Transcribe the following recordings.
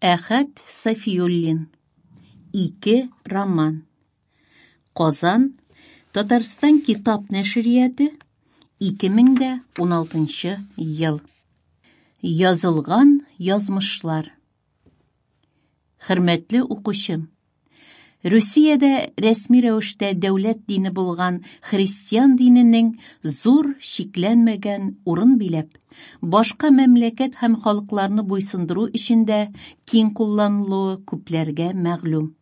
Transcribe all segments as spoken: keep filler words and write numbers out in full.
Әхәт Сафиуллин. Ике роман. Казан, Татарстан китап нәшрияты, ике мең дә уналтынчы ел. Язылган язмышлар. Хөрмәтле укучым, Русиядә рәсми рәвештә дәүләт дине булган христиан диненең зур чикләнмәгән урын биләп, башка мәмләкәт һәм халыкларны буйсындыру эшендә киң кулланылуы күпләргә мәгълүм.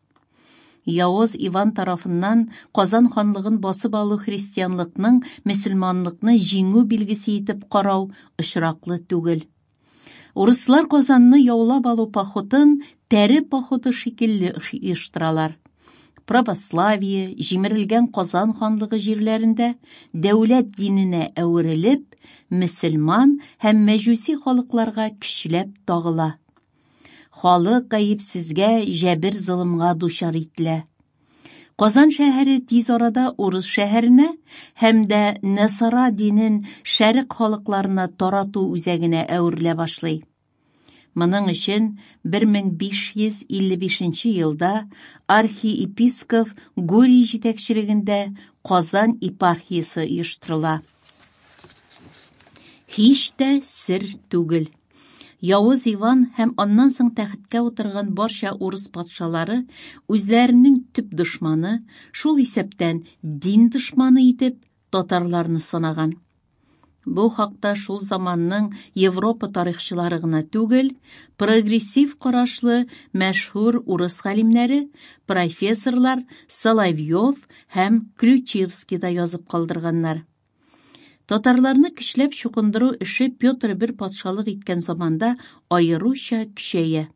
Явыз Иван тарафыннан Казан ханлыгын басып алу христианлыкның мөселманлыкны җиңү билгесе итеп карау очраклы түгел. Урыслар Казанны яулап алу походын тәре походы шикелле оештыралар. Православие җимерелгән Казан ханлыгы җирләрендә дәүләт диненә әверелеп, мөселман һәм мәҗүси халыкларга көчләп тагыла. Халык гаепсезгә җәбер-золымга дучар ителә. Казан шәһәре тиз арада урыс шәһәренә һәм дә Насара динен шәрык халыкларына тарату үзәгенә әверелә башлый. Моның өчен бер мең биш йөз илле бишенче елда архиепископ Гурий җитәкчелегендә Казан епархиясе оештырыла. Һич тә сер түгел. Явыз Иван һәм аннан соң тәхеткә утырган барча урыс патшалары үзләренең төп дошманы, шул исәптән дин дошманы итеп татарларны санаган. Бу хакта шул заманның Европа тарихчылары гына түгел, прогрессив карашлы мәшһүр урыс галимнәре, профессорлар Соловьев һәм Ключевский да язып калдырганнар. Татарларны көчләп чукындыру эше Петр бер патшалык иткән заманда аеруча көчәя.